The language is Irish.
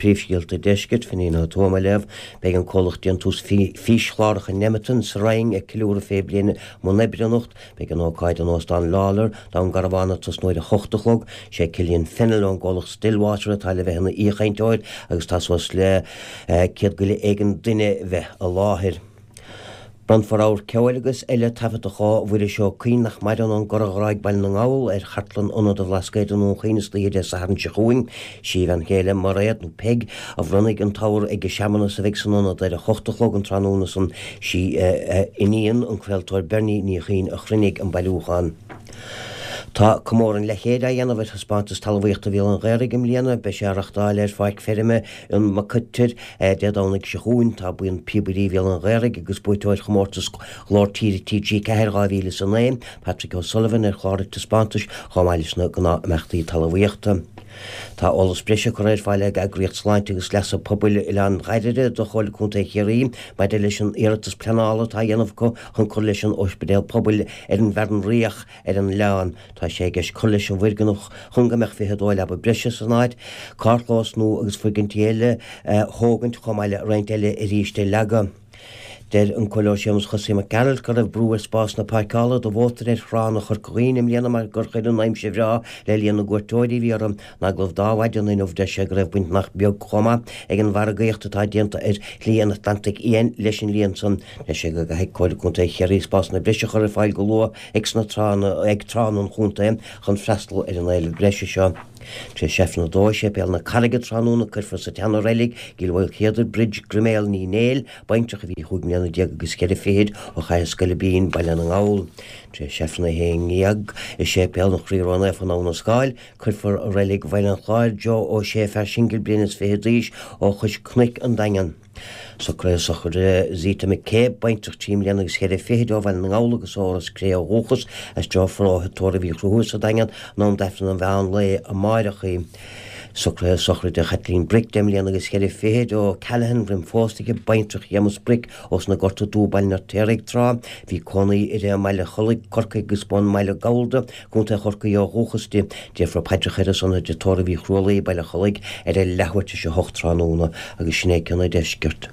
Príomhscéalta an Deiscirt, Finín Ó Tuama á léamh. Beidh an comhlacht déantús físchláracha Nemeton sa Rinn ag ceiliúradh 20 bliain i mbun oibre anocht. Beidh an ócáid in Óstán Lawlor, Dún Garbhán ag tosnú ar a hocht a chlog. Sé Cillian Fennell ón gcomhlacht Stillwater atá le bheith ina aoichainteoir agus tá suas le 100 go leith éigin duine bheith i láthair. Bronnfar abhar ceoil agus eile taifeadta ó Mhuiris Ó Cuinn, nach maireann, ón gCora Ghráig, Baile na nGall, ar chartlann Ionad an Bhlascaoid i nDún Chaoin istoíche Dé Sathairn seo chugainn. Sí a bhean chéile, Mairéad, nó Peig, a bhronnfaidh an t-abhar ag an searmanas a bheidh san Ionad ar a hocht a chlog an tráthnóna san. Sí a iníon, an craoltóir Bernie Ní Chuinn, a chruinnigh an bailiúchán. Tá comóradh an leathchéid á dhéanamh ar Thaispeántas Talmhaíochta Bhéal an Ghaorthaidh i mbliana. Beidh sé á reachtáil ar pháirc feirme an Mhaccoitir Dé Domhnaigh seo chugainn. Tá Buíon Píobairí Bhéal an Ghaorthaidh agus buaiteoir chomórtas Ghlór Tíre TG4 2009, Patrick O'Sullivan, ar chlár an taispeántais chomh maith leis na gnáth-imeachtaí talmhaíochta. Tá eolas breise curtha ar fáil ag Eagraíocht Sláinte agus Leasa Pobail Oileán Dháirire do Chomhairle Contae Chiarraí maidir leis an iarratas pleanála atá á dhéanamh acu chun cur leis an Ospidéal Pobail ar an bhFearann Riach ar an oileán. Tá sé i gceist cur leis an bhfoirgneamh chun go mbeadh 22 leaba breise san áit, carrchlós nua agus foirgintí eile a thógaint chomh maith le roinnt eile arís a leagadh. Deir an Comhairleoir Séamus Chosaí Mac Gearailt go raibh brú ar spásanna páirceála do mhótair ar thránna Chorca Dhuibhne i mbliana mar gur chuir an aimsir bhreá le líon na gcuairteoirí a bhí orthu. In agallamh d'Adhmhaidin inniu deir sé go raibh baint nach beag chomh maith ag an mhargaíocht atá déanta ar Shlí an Atlantaigh Fhiáin leis an líon san. Deir sé go gcaithfidh Comhairle Contae Chiarraí spásanna breise a chur ar fáil go luath ag sna tránna ag tránna an chontae chun freastal ar an éileamh breise seo. Tar éis Aifreann 2 i Séipéal na Carraige tráthnóna cuirfear sa tSeana-Reilig i gCill Mhaoilchéadair Bridge Griméal Ní Néill, baintreach a bhí chúig mbliana déag agus cheithre fichid ó Chathair Scoilbín, Baile na nGall. Tar éis Aifreann 11 i Séipéal an Chroí Ró-Naofa in Abha na Scáil, cuirfear i Reilig Bhaile an Chláir Joe Ó Sé, fear singil bliain is fiche d'aois ó Chois Cnoic, An Daingean. Socruithe sochraide Zita McCabe, baintreach trí mbliana agus cheithre fichid ó Bhaile na nGall agus ó Ros Cré ó dhúchas, aistreofar ó Thigh Tórraimh Uí Chonchúir sa Daingean in am d'Aifreann an mheán lae amáireach í. Socruithe sochraide Chaitlín Brick, deich mbliana agus cheithre fichid ó Callaghan, roim phósta aici, baintreach Shéamus Brick ós na Gorta Dubha, Baile an Fheirtéaraigh, tráth. Bhí cónaí uirthi i mBaile Chollaigh, Corcaigh agus b'ón mBaile Gabhalda, Contae Chorcaí ó dhúchas di. Déarfar paidreacha ar a son i dTigh Tórraimh Uí Chrualaoi, Baile Chollaigh, ar a leathuair tar éis a hocht tráthnóna agus sin é cionn an deiscirt.